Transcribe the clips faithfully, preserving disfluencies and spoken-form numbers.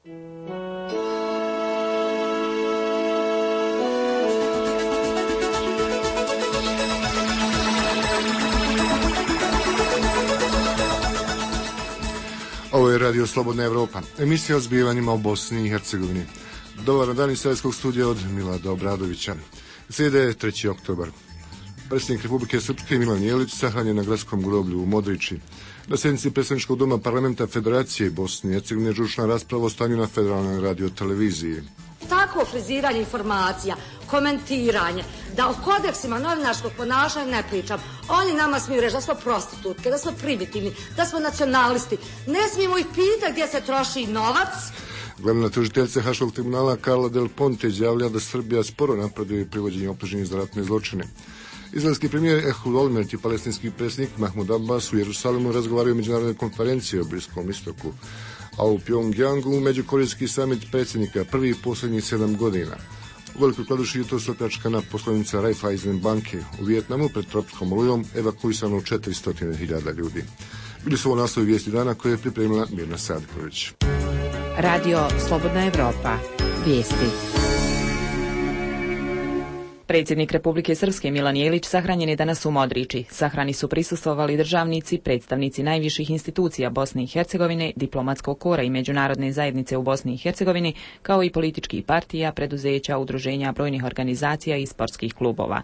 Ovo je Radio Slobodna Evropa, emisija o zbivanjima u Bosni i Hercegovini. Dobar dan iz Savjetskog studija od Milada Obradovića. Srijeda je treći oktobar. Predsjednik Republike Srpske Milan Jelić sahranjen na gradskom groblju u Modriči. Na sjednici Predsjedničkog doma Parlamenta Federacije Bosne i Hercegovine žučna rasprava o stanju na federalnoj radioteleviziji. Tako friziranje informacija, komentiranje, da o kodeksima novinarskog ponašanja ne pričam. Oni nama smiju reći da smo prostitutke, da smo primitivni, da smo nacionalisti. Ne smijemo ih pitati gdje se troši novac. Glavna tužiteljica Haškog tribunala Carla Del Ponte izjavlja da Srbija sporo napreduje privođenje optuženih za ratne zločine. Izraelski premijer Ehud Olmert i palestinski predsjednik Mahmud Abbas u Jerusalimu razgovaraju o međunarodnoj konferenciji o Bliskom istoku, a u Pjongjangu međukorejski samit predsjednika prvi i posljednjih sedam godina. U Velikoj Kladuši jutros opljačkana poslovnica Raiffeisen banke. U Vijetnamu pred tropskom olujom evakuisano četiristo hiljada ljudi. Bili su ovo naslovi vijesti dana koje je pripremila Mirna Sadković. Radio Slobodna Evropa. Vijesti. Predsjednik Republike Srpske Milan Jelić sahranjen je danas u Modriči. Sahrani su prisustvovali državnici, predstavnici najviših institucija Bosne i Hercegovine, diplomatskog kora i međunarodne zajednice u Bosni i Hercegovini, kao i političkih partija, preduzeća, udruženja, brojnih organizacija i sportskih klubova.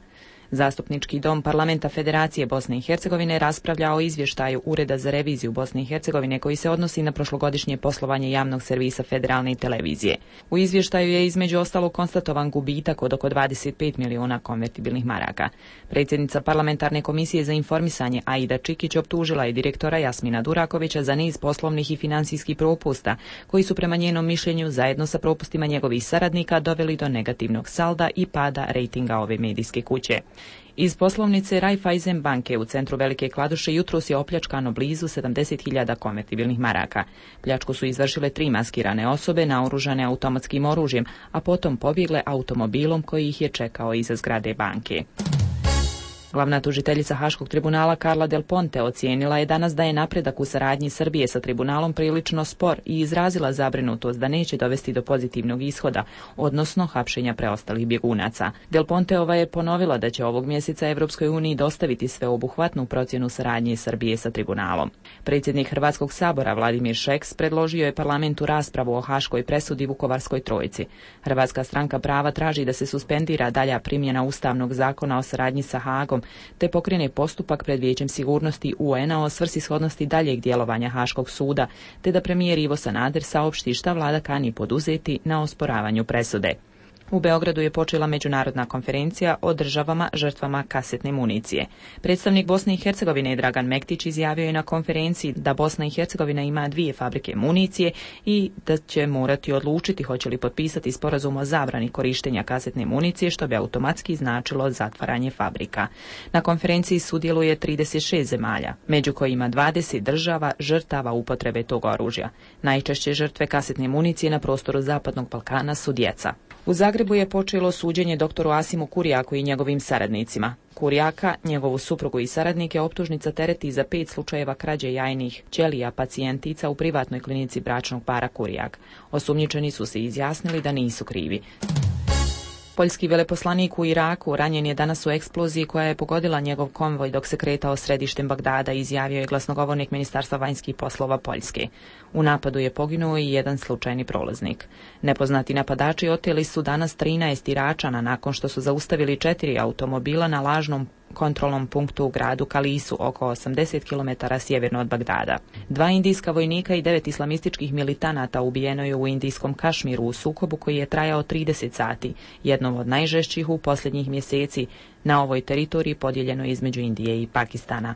Zastupnički dom Parlamenta Federacije Bosne i Hercegovine raspravlja o izvještaju Ureda za reviziju Bosne i Hercegovine koji se odnosi na prošlogodišnje poslovanje javnog servisa federalne televizije. U izvještaju je između ostalog konstatovan gubitak od oko dvadeset pet miliona konvertibilnih maraka. Predsjednica Parlamentarne komisije za informisanje Aida Čikić optužila je direktora Jasmina Durakovića za niz poslovnih i finansijskih propusta koji su prema njenom mišljenju zajedno sa propustima njegovih saradnika doveli do negativnog salda i pada rejtinga ove medijske kuće. Iz poslovnice Raiffeisen banke u centru Velike Kladuše jutros je opljačkano blizu sedamdeset hiljada konvertibilnih maraka. Pljačku su izvršile tri maskirane osobe naoružane automatskim oružjem, a potom pobjegle automobilom koji ih je čekao iza zgrade banke. Glavna tužiteljica Haškog tribunala Carla Del Ponte ocijenila je danas da je napredak u saradnji Srbije sa tribunalom prilično spor i izrazila zabrinutost da neće dovesti do pozitivnog ishoda, odnosno hapšenja preostalih bjegunaca. Del Ponteova je ponovila da će ovog mjeseca Evropskoj uniji dostaviti sveobuhvatnu procjenu saradnje Srbije sa tribunalom. Predsjednik Hrvatskog sabora Vladimir Šeks predložio je parlamentu raspravu o haškoj presudi Vukovarskoj trojici. Hrvatska stranka prava traži da se suspendira dalja primjena Ustavnog zakona o saradnji sa Hagom te pokrene postupak pred Vijećem sigurnosti U N A o svrsishodnosti daljeg djelovanja Haškog suda, te da premijer Ivo Sanader saopšti šta vlada kani poduzeti na osporavanju presude. U Beogradu je počela međunarodna konferencija o državama žrtvama kasetne municije. Predstavnik Bosne i Hercegovine Dragan Mektić izjavio je na konferenciji da Bosna i Hercegovina ima dvije fabrike municije i da će morati odlučiti hoće li potpisati sporazum o zabrani korištenja kasetne municije, što bi automatski značilo zatvaranje fabrika. Na konferenciji sudjeluje trideset šest zemalja, među kojima dvadeset država žrtava upotrebe tog oružja. Najčešće žrtve kasetne municije na prostoru Zapadnog Balkana su djeca. U Zagrebu je počelo suđenje doktoru Asimu Kurjaku i njegovim saradnicima. Kurjaka, njegovu suprugu i saradnike optužnica tereti za pet slučajeva krađe jajnih ćelija pacijentica u privatnoj klinici bračnog para Kurjak. Osumnjičeni su se izjasnili da nisu krivi. Poljski veleposlanik u Iraku ranjen je danas u eksploziji koja je pogodila njegov konvoj dok se kretao središtem Bagdada, izjavio je glasnogovornik Ministarstva vanjskih poslova Poljske. U napadu je poginuo i jedan slučajni prolaznik. Nepoznati napadači oteli su danas trinaest Iračana nakon što su zaustavili četiri automobila na lažnom kontrolnom punktu u gradu Kalisu, oko osamdeset kilometara sjeverno od Bagdada. Dva indijska vojnika i devet islamističkih militanata ubijeno je u indijskom Kašmiru u sukobu koji je trajao trideset sati, jednom od najžešćih u posljednjih mjeseci na ovoj teritoriji podijeljeno između Indije i Pakistana.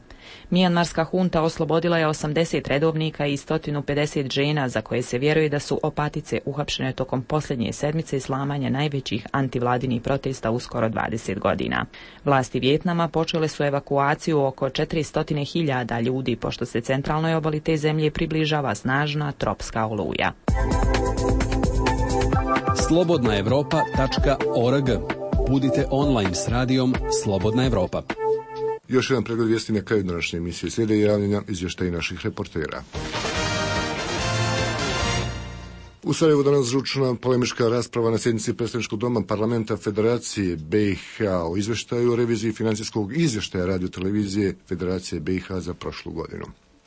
Mijanmarska hunta oslobodila je osamdeset redovnika i sto pedeset žena za koje se vjeruje da su opatice uhapšene tokom posljednje sedmice slamanja najvećih antivladinih protesta u skoro dvadeset godina. Vlasti Vijetnama počele su evakuaciju oko četiristo hiljada ljudi pošto se centralnoj obali te zemlje približava snažna tropska oluja. slobodna evropa tačka org. Budite online s radijom Slobodna Evropa. Još jedan pregled vijesti na kraju današnje emisije. Slijede javljanja izvještaji naših reportera. U Sarajevu danas žučna polemička rasprava na sjednici predstavničkog doma parlamenta Federacije B i H o izveštaju o reviziji financijskog izvještaja radiotelevizije Federacije B i H za prošlu godinu.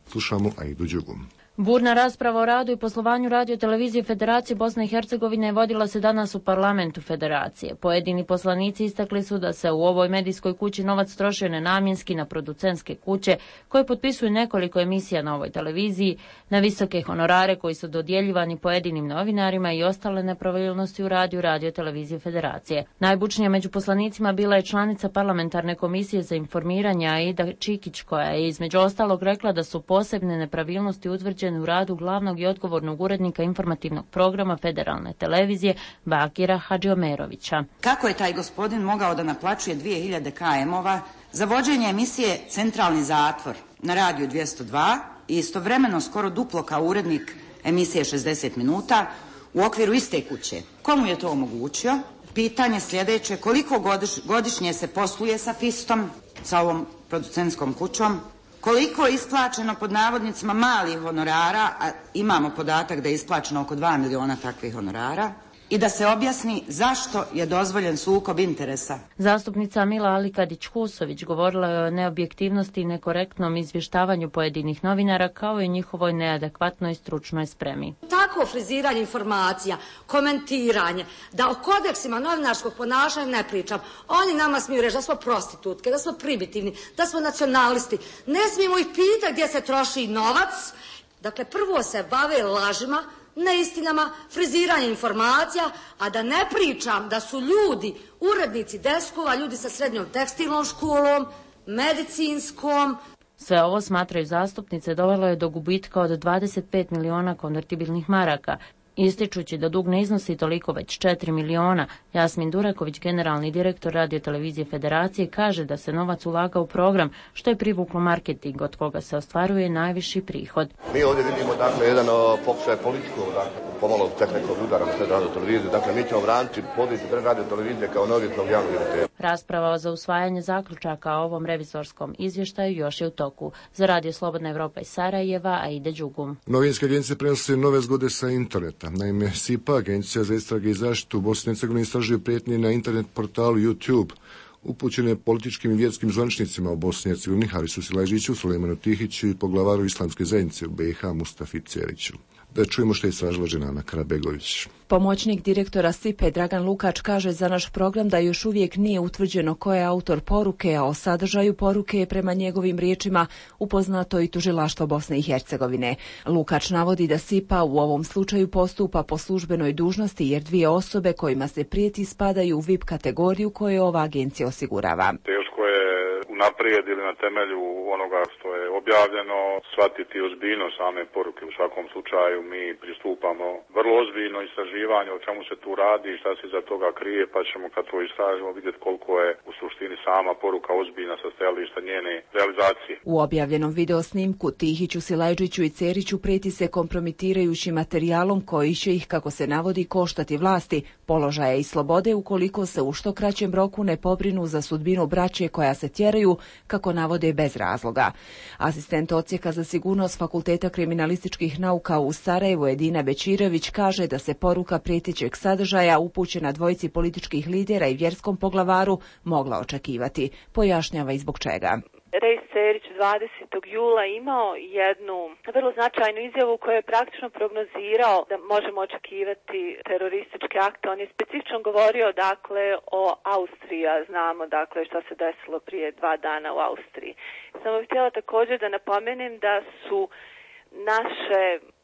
Slušamo Aidu Đugu. Burna rasprava o radu i poslovanju radiotelevizije Federacije Bosne i Hercegovine vodila se danas u parlamentu Federacije. Pojedini poslanici istakli su da se u ovoj medijskoj kući novac trošio nenamjenski na producentske kuće koje potpisuju nekoliko emisija na ovoj televiziji, na visoke honorare koji su dodjeljivani pojedinim novinarima i ostale nepravilnosti u radiju radiotelevizije Federacije. Najbučnija među poslanicima bila je članica parlamentarne komisije za informiranje Aida Čikić, koja je između ostalog rekla da su posebne nepravilnosti utvrđene u radu glavnog i odgovornog urednika informativnog programa Federalne televizije Bakira Hadžiomerovića. Kako je taj gospodin mogao da naplaćuje dvije hiljade km-ova za vođenje emisije Centralni zatvor na radiju dvjesto dva i istovremeno skoro duplo kao urednik emisije šezdeset minuta u okviru iste kuće? Komu je to omogućio? Pitanje sljedeće, koliko godiš, godišnje se posluje sa Fistom, sa ovom producentskom kućom? Koliko je isplaćeno pod navodnicima malih honorara, a imamo podatak da je isplaćeno oko dva miliona takvih honorara, i da se objasni zašto je dozvoljen sukob interesa. Zastupnica Mila Alikadić-Husović govorila je o neobjektivnosti i nekorektnom izvještavanju pojedinih novinara kao i njihovoj neadekvatnoj stručnoj spremi. Tako friziranje informacija, komentiranje, da o kodeksima novinarskog ponašanja ne pričam. Oni nama smiju reći da smo prostitutke, da smo primitivni, da smo nacionalisti. Ne smijemo ih pitati gdje se troši novac. Dakle, prvo se bave lažima, neistinama, friziranje informacija, a da ne pričam da su ljudi, urednici deskova, ljudi sa srednjom tekstilnom školom, medicinskom. Sve ovo, smatraju zastupnice, dovelo je do gubitka od dvadeset pet miliona konvertibilnih maraka. Ističući da dug ne iznosi toliko već četiri miliona, Jasmin Duraković, generalni direktor radiotelevizije Federacije, kaže da se novac ulaga u program, što je privuklo marketing, od koga se ostvaruje najviši prihod. Mi ovdje vidimo dakle jedan pokušaj političkog, dakle, pomalo tehničkog udara na radioteleviziju. Dakle, mi ćemo braniti poziciju radiotelevizije kao neovisnog javnog emitera. Rasprava za usvajanje zaključaka o ovom revizorskom izvještaju još je u toku. Za Radio Slobodna Evropa iz Sarajeva, Aida Đugu. Novinske agencije prenose nove zgode sa interneta. Naime, S I P A, Agencija za istrage i zaštitu u Bosni i Hercegovini, istražuje prijetnje na internet portalu YouTube upućene političkim i vjerskim zvaničnicima u Bosni i Hercegovini Harisu Silajđiću, Sulejmanu Tihiću i poglavaru islamske zajednice u B i H Mustafi Ceriću. Da čujemo što je istražila Dženana Karabegović. Pomoćnik direktora S I P A Dragan Lukač kaže za naš program da još uvijek nije utvrđeno ko je autor poruke, a o sadržaju poruke je prema njegovim riječima upoznato i tužilaštvo Bosne i Hercegovine. Lukač navodi da S I P A u ovom slučaju postupa po službenoj dužnosti jer dvije osobe kojima se prijeti spadaju u V I P kategoriju koju ova agencija osigurava. Teško je unaprijed ili na temelju onoga što je objavljeno shvatiti ozbiljnost same poruke. U svakom slučaju mi pristupamo vrlo ozbiljno istraživanju o čemu se tu radi i šta se iza toga krije, pa ćemo kad to istražimo vidjeti koliko je u suštini sama poruka ozbiljna sa stajališta njene realizacije. U objavljenom video snimku Tihiću, Silajđiću i Ceriću prijeti se kompromitirajućim materijalom koji će ih, kako se navodi, koštati vlasti, položaja i slobode ukoliko se u što kraćem roku ne pobrinu za sudbinu braće koja se tjeraju, kako navode, bez razloga. Asistent odsjeka za sigurnost Fakulteta kriminalističkih nauka u Sarajevu Edina Bečirević kaže da se poruka prijetećeg sadržaja upućena dvojici političkih lidera i vjerskom poglavaru mogla očekivati. Pojašnjava i zbog čega. Rejs Cerić dvadesetog jula imao jednu vrlo značajnu izjavu koja je praktično prognozirao da možemo očekivati terorističke akte. On je specifično govorio dakle o Austriji, a znamo dakle šta se desilo prije dva dana u Austriji. Samo bih htjela također da napomenem da su naše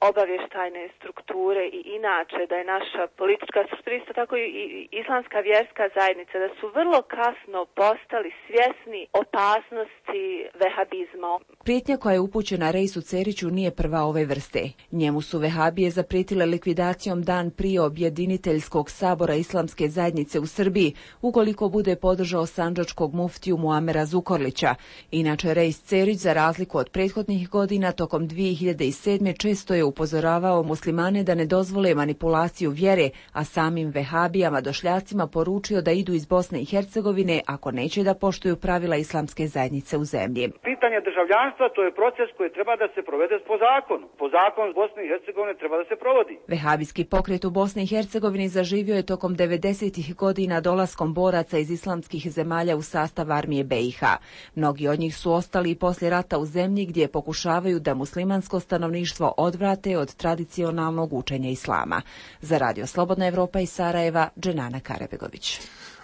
obavještajne strukture i inače da je naša politička struktura, isto tako i islamska vjerska zajednica, da su vrlo kasno postali svjesni opasnosti vehabizma. Prijetnja koja je upućena Rejsu Ceriću nije prva ove vrste. Njemu su vehabije zaprijetile likvidacijom dan prije objediniteljskog sabora islamske zajednice u Srbiji, ukoliko bude podržao sandžačkog muftiju Muamera Zukorlića. Inače, Rejs Cerić, za razliku od prethodnih godina, tokom dvije hiljade sedme često je upozoravao muslimane da ne dozvole manipulaciju vjere, a samim vehabijama došljacima poručio da idu iz Bosne i Hercegovine ako neće da poštuju pravila islamske zajednice u zemlji. Pitanje državljanstva to je proces koji treba da se provede po zakonu. Po zakonu Bosne i Hercegovine treba da se provodi. Vehabijski pokret u Bosni i Hercegovini zaživio je tokom devedesetih godina dolaskom boraca iz islamskih zemalja u sastav armije be i ha. Mnogi od njih su ostali i poslije rata u zemlji gdje pokušavaju da muslimansko stanovništvo odvrate od tradicionalnog učenja islama. Za Radio Slobodna Evropa iz Sarajeva, Dženana Karebegović.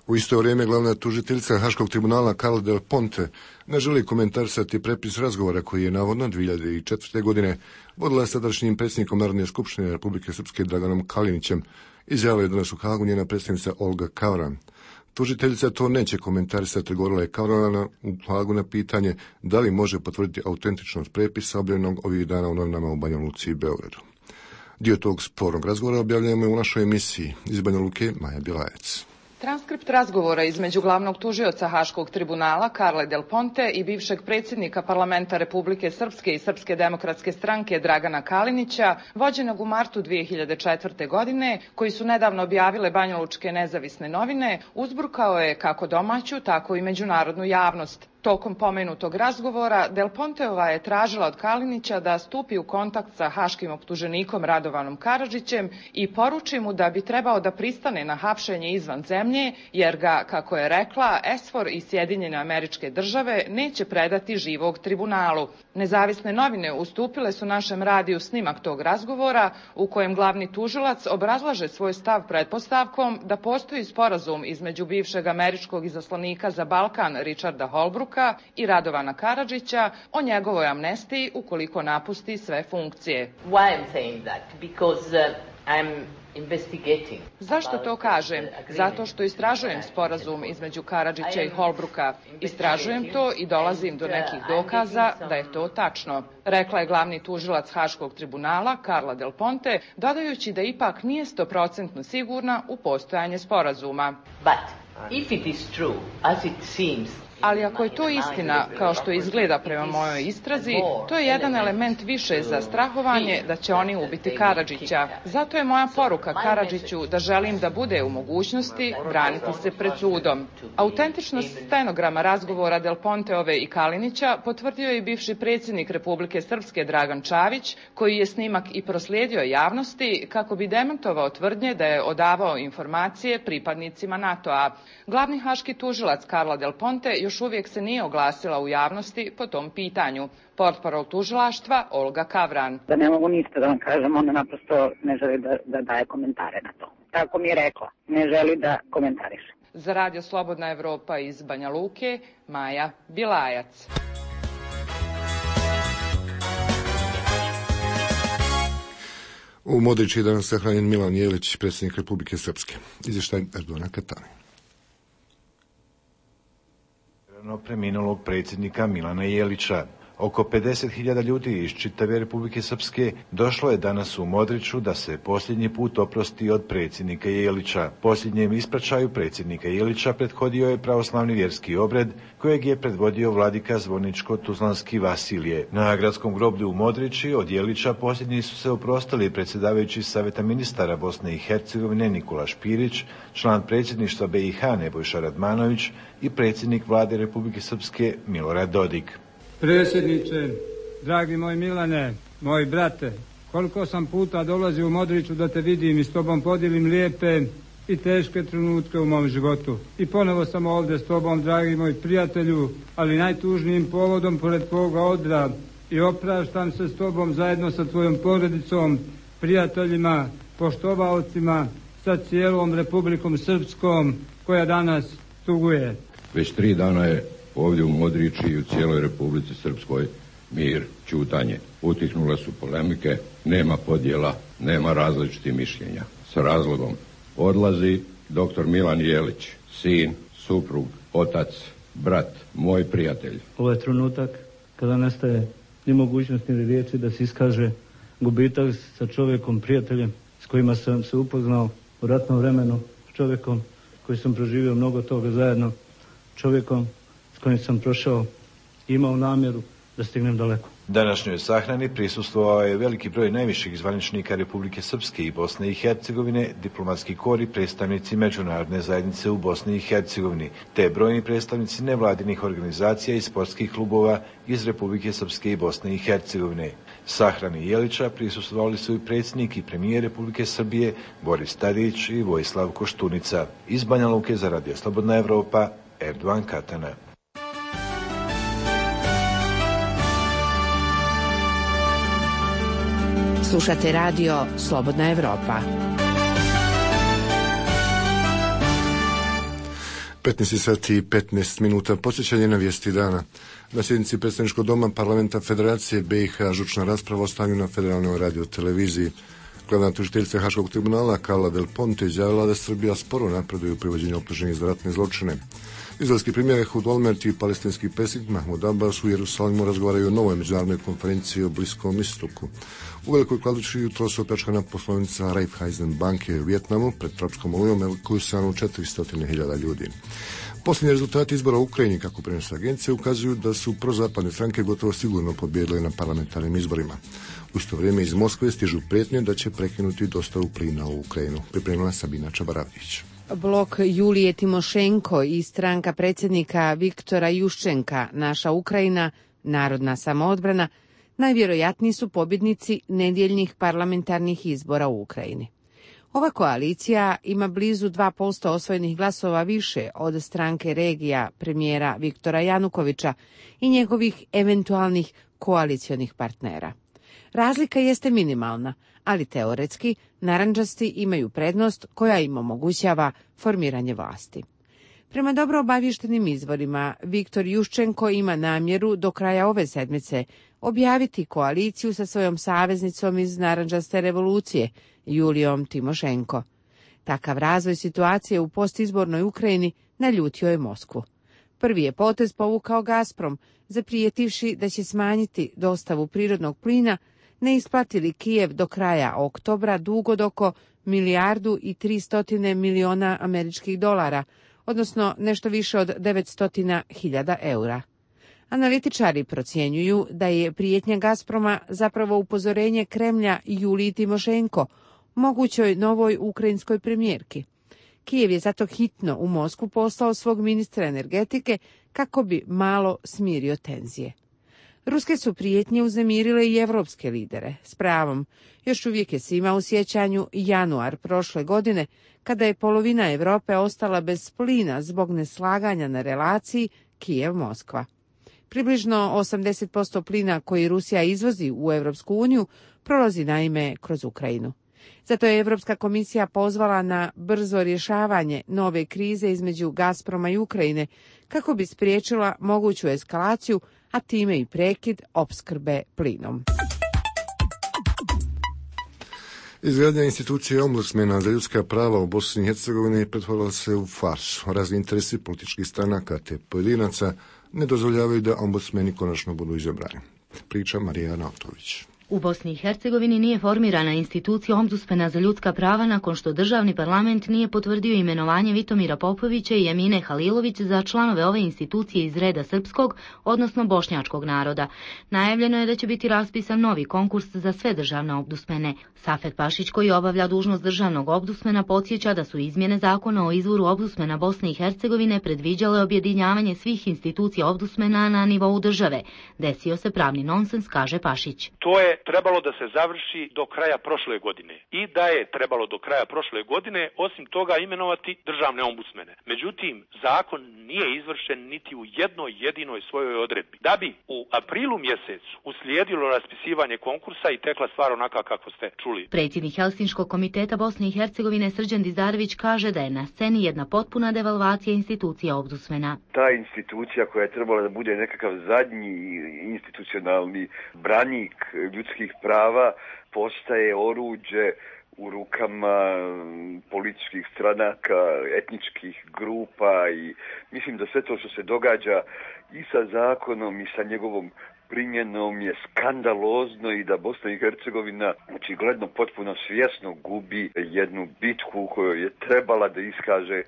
U isto vrijeme glavna tužiteljica Haškog tribunala Carla Del Ponte ne želi komentarisati prepis razgovora koji je navodno dvije hiljade četvrte. godine vodila sadašnjim predsjednikom Narodne skupštine Republike Srpske Draganom Kalinićem, izjavila je danas u Hagu njena predstavnica Olga Kavran. Tužiteljica to neće komentarisati, govorila je Kavrana u Hagu na pitanje da li može potvrditi autentičnost prepisa objavljenog ovih dana u novinama u Banja Luci i Beogradu. Dio tog spornog razgovora objavljujemo u našoj emisiji. Iz Banja Luke, Maja Bilajac. Transkript razgovora između glavnog tužioca Haškog tribunala Carle Del Ponte i bivšeg predsjednika parlamenta Republike Srpske i Srpske demokratske stranke Dragana Kalinića, vođenog u martu dvije hiljade četvrte. godine, koji su nedavno objavile banjalučke nezavisne novine, uzburkao je kako domaću, tako i međunarodnu javnost. Tokom pomenutog razgovora, Del Ponteova je tražila od Kalinića da stupi u kontakt sa haškim optuženikom Radovanom Karadžićem i poruči mu da bi trebao da pristane na hapšenje izvan zemlje, jer ga, kako je rekla, ESFOR i Sjedinjene Američke Države neće predati živog tribunalu. Nezavisne novine ustupile su našem radiju snimak tog razgovora u kojem glavni tužilac obrazlaže svoj stav pretpostavkom da postoji sporazum između bivšeg američkog izaslanika za Balkan Richarda Holbrooka i Radovana Karadžića o njegovoj amnestiji ukoliko napusti sve funkcije. Why I'm saying that? Because uh, I'm investigating. Zašto to kažem? Zato što istražujem sporazum između Karadžića i Holbrooka. Istražujem to i dolazim do nekih dokaza da je to tačno, rekla je glavni tužilac Haškog tribunala Carla Del Ponte, dodajući da ipak nije stoprocentno sigurna u postojanje sporazuma. But if it is true, as it seems, ali ako je to istina, kao što izgleda prema mojoj istrazi, to je jedan element više za strahovanje da će oni ubiti Karadžića. Zato je moja poruka Karadžiću da želim da bude u mogućnosti braniti se pred sudom. Autentičnost stenograma razgovora Del Ponteove i Kalinića potvrdio je i bivši predsjednik Republike Srpske Dragan Čavić, koji je snimak i proslijedio javnosti kako bi demantovao tvrdnje da je odavao informacije pripadnicima NATO-a. Glavni haški tužilac Carla Del Ponte još uvijek se nije oglasila u javnosti po tom pitanju. Portparol tužilaštva Olga Kavran. Da ne mogu ništa da vam kažem, ona naprosto ne želi da, da daje komentare na to. Tako mi je rekla, ne želi da komentariše. Za Radio Slobodna Evropa iz Banja Luke, Maja Bilajac. U Modrići je danas sahranjen Milan Jelić, predsjednik Republike Srpske. Izvještaj Erdona Katani. Preminulog predsjednika Milana Jelića. Oko pedeset hiljada ljudi iz čitave Republike Srpske došlo je danas u Modriću da se posljednji put oprosti od predsjednika Jelića. Posljednjem ispraćaju predsjednika Jelića prethodio je pravoslavni vjerski obred kojeg je predvodio vladika Zvorničko-Tuzlanski Vasilije. Na gradskom groblju u Modrići od Jelića posljednji su se oprostili predsjedavajući Saveta ministara Bosne i Hercegovine Nikola Špirić, član predsjedništva be i ha Nebojša Radmanović i predsjednik vlade Republike Srpske Milorad Dodik. Predsjedniče, dragi moj Milane, moj brate, koliko sam puta dolazio u Modriću da te vidim i s tobom podijelim lijepe i teške trenutke u mom životu. I ponovo sam ovdje s tobom, dragi moj prijatelju, ali najtužnijim povodom pored tvoga odra i opraštam se s tobom zajedno sa tvojom porodicom, prijateljima, poštovaocima, sa cijelom Republikom Srpskom koja danas tuguje. Već tri dana je ovdje u Modrići i u cijeloj Republici Srpskoj mir, ćutanje. Utihnule su polemike, nema podjela, nema različitih mišljenja. S razlogom odlazi doktor Milan Jelić, sin, suprug, otac, brat, moj prijatelj. Ovo je trenutak kada nestaje ni mogućnost ni riječi da se iskaže gubitak sa čovjekom, prijateljem s kojima sam se upoznao u ratnom vremenu, s čovjekom koji sam proživio mnogo toga zajedno, čovjekom s kojim sam prošao i imao namjeru da stignem daleko. Današnjoj sahrani prisustvovao je veliki broj najviših zvaničnika Republike Srpske i Bosne i Hercegovine, diplomatski kor i predstavnici međunarodne zajednice u Bosni i Hercegovini, te brojni predstavnici nevladinih organizacija i sportskih klubova iz Republike Srpske i Bosne i Hercegovine. Sahrani Jelića prisustvovali su i predsjednik i premijer Republike Srbije Boris Tadić i Vojislav Koštunica. Iz Banja Luke za Radio Slobodna Evropa, Erdovan Katana. Slušate radio Slobodna Evropa. petnaest sati i petnaest minuta. Podsjećanje na vijesti dana. Na sjednici predstavničkog doma Parlamenta Federacije B i H žučna rasprava o stanju na federalnoj radioteleviziji. Glavna tužiteljica Haškog tribunala Carla Del Ponte izjavila da Srbija sporo napreduje u privođenju optuženih za ratne zločine. Izraelski premijer Ehud Olmert i palestinski predsjednik Mahmud Abbas u Jerusalimu razgovaraju o novoj međunarodnoj konferenciji o Bliskom istoku. U Velikoj Kladuši jutro se opljačkana poslovnica Raiffeisen banke u Vijetnamu pred tropskom olujom koju se u četiristo hiljada ljudi. Posljednji rezultati izbora u Ukrajini, kako prenose agencije, ukazuju da su prozapadne stranke gotovo sigurno pobjedile na parlamentarnim izborima. U isto vrijeme iz Moskve stižu prijetnje da će prekinuti dostavu plina u Ukrajinu. Pripremila Sabina Čabaravljić. Blok Julije Timošenko i stranka predsjednika Viktora Juščenka, Naša Ukrajina, Narodna samoodbrana, najvjerojatniji su pobjednici nedjeljnih parlamentarnih izbora u Ukrajini. Ova koalicija ima blizu dva posto osvojenih glasova više od stranke regija premijera Viktora Janukovića i njegovih eventualnih koalicionih partnera. Razlika jeste minimalna, ali teoretski narandžasti imaju prednost koja im omogućava formiranje vlasti. Prema dobro obavještenim izvorima, Viktor Juščenko ima namjeru do kraja ove sedmice objaviti koaliciju sa svojom saveznicom iz narandžaste revolucije, Julijom Timošenko. Takav razvoj situacije u postizbornoj Ukrajini naljutio je Moskvu. Prvi je potez povukao Gazprom, zaprijetivši da će smanjiti dostavu prirodnog plina, ne isplatili Kijev do kraja oktobra dug od oko milijardu i tristotine miliona američkih dolara, odnosno nešto više od devetsto hiljada eura. Analitičari procjenjuju da je prijetnja Gazproma zapravo upozorenje Kremlja Juliji Timošenko, mogućoj novoj ukrajinskoj premijerki. Kijev je zato hitno u Moskvu poslao svog ministra energetike kako bi malo smirio tenzije. Ruske su prijetnje uznemirile i evropske lidere, s pravom. Još uvijek je svima u sjećanju januar prošle godine, kada je polovina Europe ostala bez plina zbog neslaganja na relaciji Kijev-Moskva. Približno osamdeset posto plina koji Rusija izvozi u Europsku uniju prolazi naime kroz Ukrajinu. Zato je Europska komisija pozvala na brzo rješavanje nove krize između Gazproma i Ukrajine kako bi spriječila moguću eskalaciju, a time i prekid opskrbe plinom. Izgradnja institucije ombudsmena za ljudska prava u Bosni i Hercegovini pretvorila se u farsu. Razni interesi političkih stranaka te pojedinaca ne dozvoljavaju da ombudsmeni konačno budu izabrani. Priča Marija Nautović. U Bosni i Hercegovini nije formirana institucija ombudsmena za ljudska prava nakon što državni parlament nije potvrdio imenovanje Vitomira Popovića i Emine Halilović za članove ove institucije iz reda srpskog, odnosno bošnjačkog naroda. Najavljeno je da će biti raspisan novi konkurs za sve državne ombudsmene. Safet Pašić, koji obavlja dužnost državnog ombudsmena, podsjeća da su izmjene zakona o izvoru ombudsmena Bosne i Hercegovine predviđale objedinjavanje svih institucija ombudsmena na nivou države. Desio se pravni nonsens, kaže Pašić. To je trebalo da se završi do kraja prošle godine i da je trebalo do kraja prošle godine osim toga imenovati državne ombudsmene. Međutim, zakon nije izvršen niti u jednoj jedinoj svojoj odredbi. Da bi u aprilu mjesecu uslijedilo raspisivanje konkursa i tekla stvar onaka kako ste čuli. Predsjednik Helsinškog komiteta Bosne i Hercegovine Srđan Dizdarević kaže da je na sceni jedna potpuna devalvacija institucija ombudsmena. Ta institucija koja je trebala da bude nekakav zadnji institucionalni branik ljudskih prava postaje oruđe u rukama političkih stranaka, etničkih grupa i mislim da sve to što se događa i sa zakonom i sa njegovom primjenom je skandalozno i da Bosna i Hercegovina očigledno potpuno svjesno gubi jednu bitku u kojoj je trebala da iskaže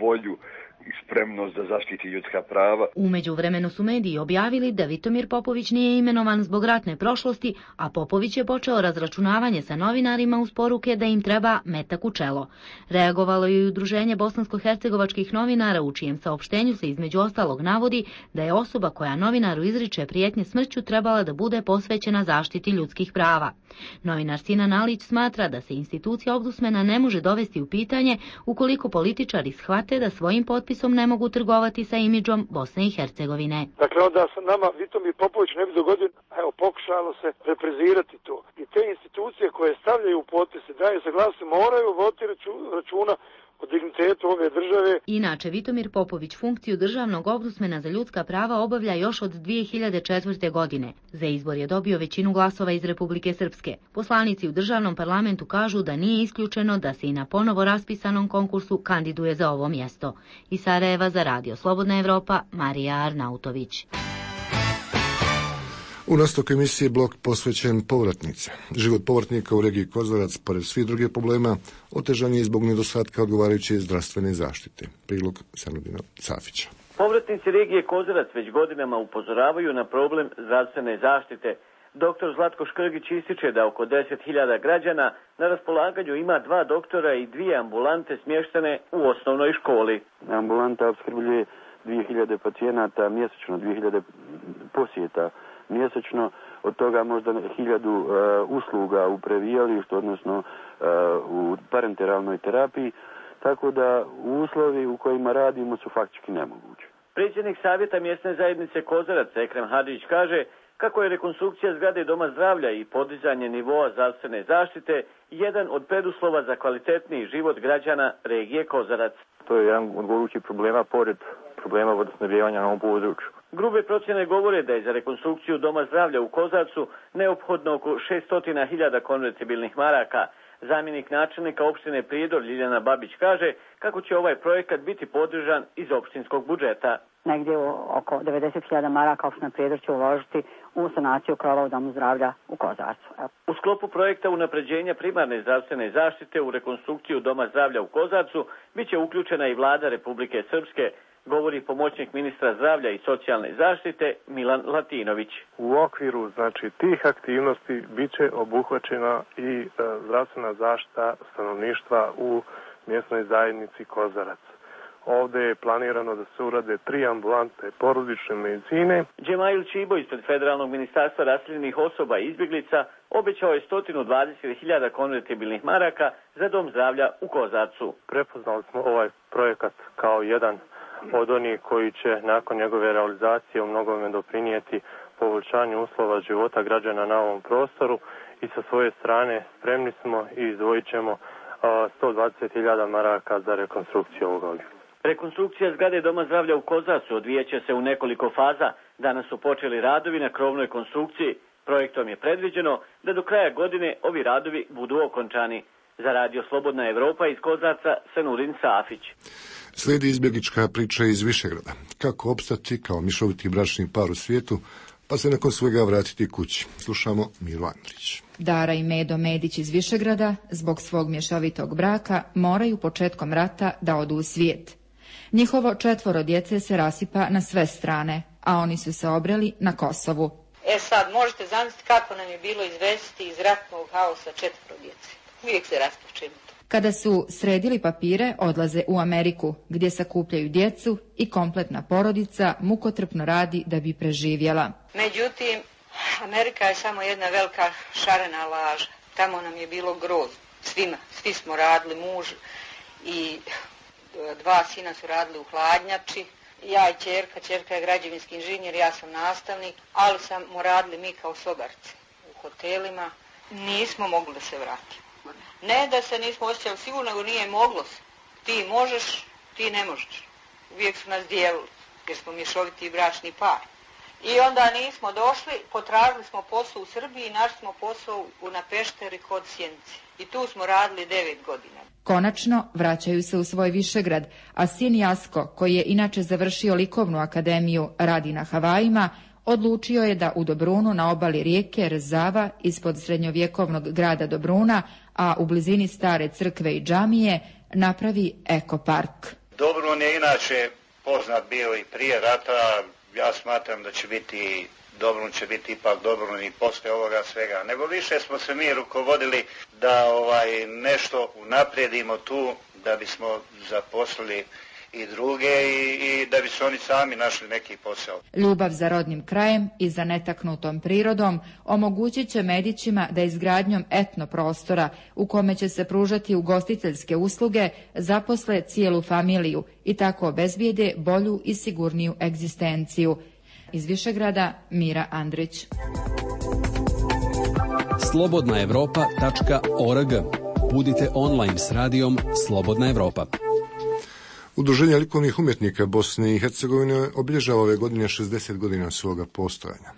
volju i spremnost da zaštiti ljudska prava. U međuvremenu su mediji objavili da Vitomir Popović nije imenovan zbog ratne prošlosti, a Popović je počeo razračunavanje sa novinarima uz poruke da im treba metak u čelo. Reagovalo je i udruženje bosansko-hercegovačkih novinara, u čijem saopštenju se između ostalog navodi da je osoba koja novinaru izriče prijetnje smrću trebala da bude posvećena zaštiti ljudskih prava. Novinar Sinan Alić smatra da se institucija ombudsmana ne može dovesti u pitanje ukoliko političari shvate da svojim potpisom ne mogu trgovati sa imidžom Bosne i Hercegovine. Dakle, onda se nama Vitomir Popović ne bi dogodio, evo, pokušalo se reprizirati to. I te institucije koje stavljaju potpise, daju saglasnost, moraju voditi računa o dignitetu ove države. Inače, Vitomir Popović funkciju državnog ombudsmana za ljudska prava obavlja još od dvije hiljade četvrte. godine. Za izbor je dobio većinu glasova iz Republike Srpske. Poslanici u državnom parlamentu kažu da nije isključeno da se i na ponovo raspisanom konkursu kandiduje za ovo mjesto. Iz Sarajeva za Radio Slobodna Evropa, Marija Arnautović. U nastavku emisije blok posvećen povratnice. Život povratnika u regiji Kozarac, pored svih drugih problema, otežan je zbog nedostatka odgovarajuće zdravstvene zaštite. Prilog Sanudina Safića. Povratnici regije Kozarac već godinama upozoravaju na problem zdravstvene zaštite. Doktor Zlatko Škrgić ističe da oko deset hiljada građana na raspolaganju ima dva doktora i dvije ambulante smještene u osnovnoj školi. Ambulanta opskrbljuje dvije hiljade pacijenata mjesečno, dvije hiljade posjeta mjesečno, od toga možda hiljadu uh, usluga u previjalištu, odnosno uh, u parenteralnoj terapiji, tako da uslovi u kojima radimo su faktički nemogući. Predsjednik savjeta mjesne zajednice Kozarac, Ekrem Hadžić, kaže kako je rekonstrukcija zgrade Doma zdravlja i podizanje nivoa zdravstvene zaštite jedan od preduslova za kvalitetniji život građana regije Kozarac. To je jedan od gorućih problema pored problema vodosnabdijevanja na ovom području. Grube procjene govore da je za rekonstrukciju Doma zdravlja u Kozarcu neophodno oko šesto hiljada konvertibilnih maraka. Zamjenik načelnika opštine Prijedor Ljiljana Babić kaže kako će ovaj projekat biti podržan iz opštinskog budžeta. Negdje oko devedeset hiljada maraka opština Prijedor će uložiti u sanaciju krova u Domu zdravlja u Kozarcu. U sklopu projekta unapređenja primarne zdravstvene zaštite u rekonstrukciju Doma zdravlja u Kozarcu biće uključena i vlada Republike Srpske, govori pomoćnik ministra zdravlja i socijalne zaštite Milan Latinović. U okviru znači tih aktivnosti biće obuhvaćena i e, zdravstvena zaštita stanovništva u mjesnoj zajednici Kozarac. Ovdje je planirano da se urade tri ambulante porodične medicine. Džemail Čibo ispred Federalnog ministarstva raseljenih osoba i izbjeglica obećao je sto dvadeset hiljada konvertibilnih maraka za Dom zdravlja u Kozarcu. Prepoznali smo ovaj projekat kao jedan od onih koji će nakon njegove realizacije u mnogome doprinijeti poboljšanju uslova života građana na ovom prostoru i sa svoje strane spremni smo i izdvojit ćemo sto dvadeset hiljada maraka za rekonstrukciju ovog objekta. Rekonstrukcija zgrade Doma zdravlja u Kozarcu odvijeće se u nekoliko faza. Danas su počeli radovi na krovnoj konstrukciji. Projektom je predviđeno da do kraja godine ovi radovi budu okončani. Za Radio Slobodna Evropa iz Kozarca, Sanurin Safić. Slijedi izbjeglička priča iz Višegrada. Kako opstati kao mišoviti bračni par u svijetu, pa se nakon svega vratiti kući. Slušamo Miru Andrić. Dara i Medo Medić iz Višegrada zbog svog mješovitog braka moraju početkom rata da odu u svijet. Njihovo četvoro djece se rasipa na sve strane, a oni su se obreli na Kosovu. E sad, možete zamisliti kako nam je bilo izvesti iz ratnog haosa četvoro djece. Uvijek se rasplačemo. Kada su sredili papire, odlaze u Ameriku, gdje sakupljaju djecu i kompletna porodica mukotrpno radi da bi preživjela. Međutim, Amerika je samo jedna velika šarena laža. Tamo nam je bilo grozno. Svima. Svi smo radili, muž i dva sina su radili u hladnjači. Ja i ćerka, ćerka je građevinski inženjer, ja sam nastavnik, ali smo radili mi kao sobarci u hotelima. Nismo mogli da se vratimo. Ne da se nismo osjećali sigurno, nego nije moglo se. Ti možeš, ti ne možeš. Uvijek su nas dijelili, jer smo mješoviti i bračni par. I onda nismo došli, potražili smo posao u Srbiji i našli smo posao na Pešteri kod Sjenice. I tu smo radili devet godina. Konačno vraćaju se u svoj Višegrad, a sin Jasko, koji je inače završio likovnu akademiju, radi na Havajima, odlučio je da u Dobrunu na obali rijeke Rzava ispod srednjovjekovnog grada Dobruna, a u blizini stare crkve i džamije, napravi ekopark. Dobrun je inače poznat bio i prije rata, ja smatram da će biti, Dobrun će biti ipak Dobrun i posle ovoga svega. Nego više smo se mi rukovodili da ovaj nešto unaprijedimo tu, da bismo zaposlili i druge i, i da bi se oni sami našli neki posao. Ljubav za rodnim krajem i za netaknutom prirodom omogućit će Medićima da izgradnjom etno prostora u kome će se pružati ugostiteljske usluge zaposle cijelu familiju i tako obezbijede bolju i sigurniju egzistenciju. Iz Višegrada, Mira Andrić. slobodna evropa tačka org. Budite online s radijom Slobodna Evropa. Udruženje likovnih umjetnika Bosne i Hercegovine obilježava ove godine šezdeset godina svoga postojanja.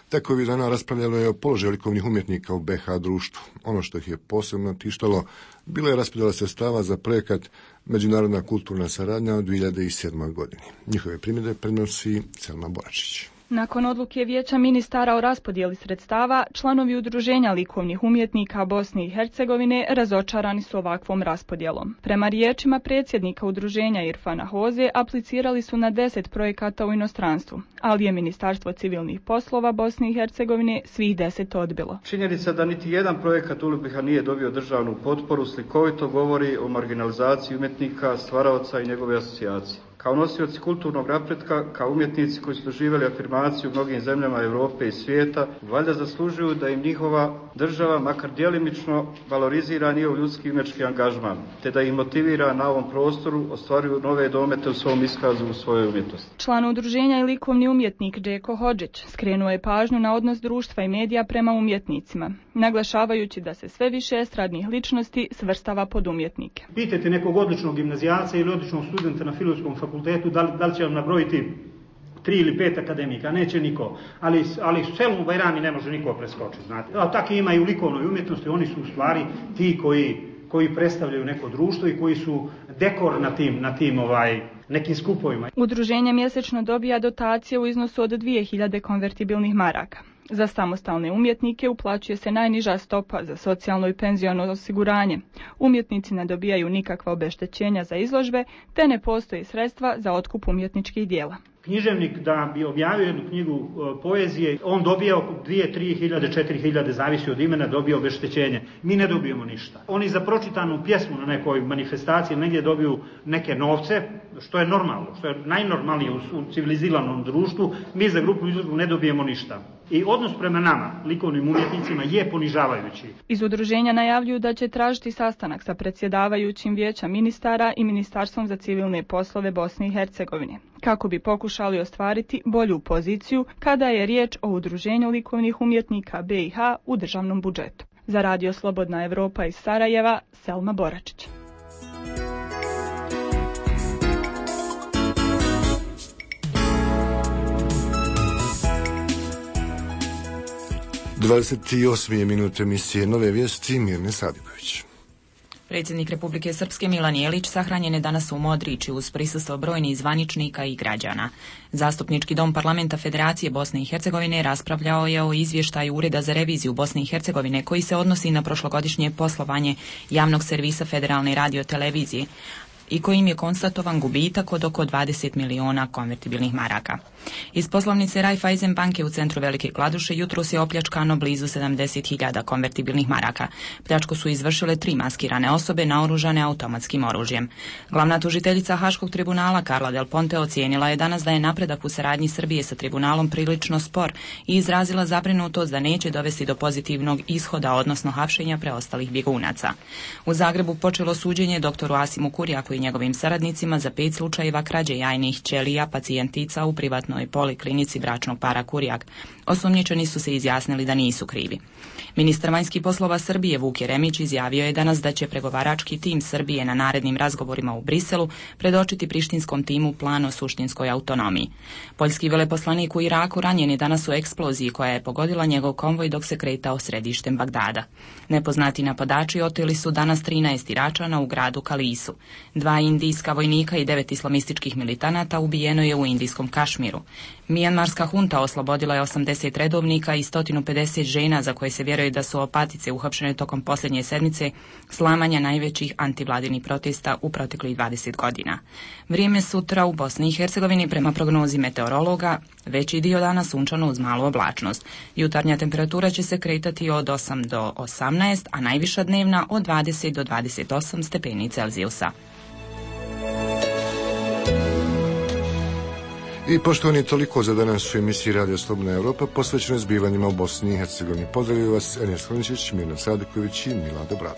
Tako ovih dana raspravljalo je o položaju likovnih umjetnika u be ha društvu. Ono što ih je posebno tištalo bila je raspodjela sredstava za projekat Međunarodna kulturna saradnja u dvije hiljade sedmoj godini. Njihove primjedbe prenosi Selma Boračić. Nakon odluke Vijeća ministara o raspodjeli sredstava, članovi Udruženja likovnih umjetnika Bosne i Hercegovine razočarani su ovakvom raspodjelom. Prema riječima predsjednika Udruženja Irfana Hoze, aplicirali su na deset projekata u inostranstvu, ali je Ministarstvo civilnih poslova Bosne i Hercegovine svih deset odbilo. Činjenica da niti jedan projekat u be ha nije dobio državnu potporu slikovito govori o marginalizaciji umjetnika, stvaraoca i njegove asocijacije. Kao nosioci kulturnog napretka, kao umjetnici koji su doživjeli afirmaciju u mnogim zemljama Europe i svijeta, valjda zaslužuju da im njihova država makar djelimično valorizira njihov ljudski i umjetnički angažman, te da ih motivira na ovom prostoru ostvaruju nove domete u svom iskazu u svojoj umjetnosti. Član udruženja i likovni umjetnik Džeko Hodžić skrenuo je pažnju na odnos društva i medija prema umjetnicima, naglašavajući da se sve više estradnih ličnosti svrstava pod umjetnike. Pitajte nekog odličnog gimnazijalca ili odličnog studenta na filozofskom fakultetu, da li, da li će vam nabrojiti tri ili pet akademika, neće niko, ali, ali Selmu Bajrami ne može niko preskočiti, znate. A tako ima i u likovnoj umjetnosti, oni su u stvari ti koji, koji predstavljaju neko društvo i koji su dekor na tim, na tim ovaj, nekim skupovima. Udruženje mjesečno dobija dotacije u iznosu od dvije hiljade konvertibilnih maraka. Za samostalne umjetnike uplaćuje se najniža stopa za socijalno i penziono osiguranje. Umjetnici ne dobijaju nikakva obeštećenja za izložbe, te ne postoji sredstva za otkup umjetničkih dijela. Književnik da bi objavio jednu knjigu e, poezije, on dobija oko dvije, tri hiljade, četiri hiljade, zavisi od imena, dobija obeštećenje. Mi ne dobijemo ništa. Oni za pročitanu pjesmu na nekoj manifestaciji negdje dobiju neke novce, što je normalno, što je najnormalnije u, u civiliziranom društvu. Mi za grupnu izložbu ne dobijemo ništa. I odnos prema nama, likovnim umjetnicima, je ponižavajući. Iz udruženja najavljuju da će tražiti sastanak sa predsjedavajućim Vijeća ministara i Ministarstvom za civilne poslove Bosne i Hercegovine, kako bi pokušali ostvariti bolju poziciju kada je riječ o udruženju likovnih umjetnika be i ha u državnom budžetu. Za Radio Slobodna Evropa iz Sarajeva, Selma Boračić. dvadeset osme minute emisije Nove vijesti, Mirne Sadipović. Predsjednik Republike Srpske Milan Jelić sahranjen je danas u Modriči uz prisustvo brojnih zvaničnika i građana. Zastupnički dom Parlamenta Federacije Bosne i Hercegovine raspravljao je o izvještaju Ureda za reviziju Bosne i Hercegovine koji se odnosi na prošlogodišnje poslovanje javnog servisa Federalne radiotelevizije i kojim je konstatovan gubitak od oko dvadeset miliona konvertibilnih maraka. Iz poslovnice Raiffeisen banke u centru Velike Kladuše jutros je opljačkano blizu sedamdeset hiljada konvertibilnih maraka. Pljačku su izvršile tri maskirane osobe naoružane automatskim oružjem. Glavna tužiteljica Haškog tribunala Carla Del Ponte ocijenila je danas da je napredak u saradnji Srbije sa tribunalom prilično spor i izrazila zabrinutost da neće dovesti do pozitivnog ishoda, odnosno hapšenja preostalih bjegunaca. U Zagrebu počelo suđenje doktoru Asimu Kurjaku i njegovim saradnicima za pet slučajeva krađe jajnih ćelija pacijentica u privatnoj poliklinici bračnog para Kurjak. Osumnjičeni su se izjasnili da nisu krivi. Ministar vanjskih poslova Srbije Vuk Jeremić izjavio je danas da će pregovarački tim Srbije na narednim razgovorima u Briselu predočiti prištinskom timu plan o suštinskoj autonomiji. Poljski veleposlanik u Iraku ranjen je danas u eksploziji koja je pogodila njegov konvoj dok se kretao središtem Bagdada. Nepoznati napadači oteli su danas trinaest Iračana u gradu Kalisu. Dva indijska vojnika i devet islamističkih militanata ubijeno je u indijskom Kašmiru. Mijanmarska hunta oslobodila je osamdeset redovnika i sto pedeset žena za koje se vjeruje da su opatice uhapšene tokom posljednje sedmice slamanja najvećih antivladinih protesta u proteklih dvadeset godina. Vrijeme sutra u Bosni i Hercegovini prema prognozi meteorologa veći dio dana sunčano uz malu oblačnost. Jutarnja temperatura će se kretati od osam do osamnaest, a najviša dnevna od dvadeset do dvadeset osam stepeni Celzijusa. I poštovani, toliko za danas u emisiji Radio Slobodna Europa posvećenoj zbivanjima u Bosni i Hercegovini. Pozdravljaju vas Enes Kloničić, Mirna Sadiković i Milado Brado.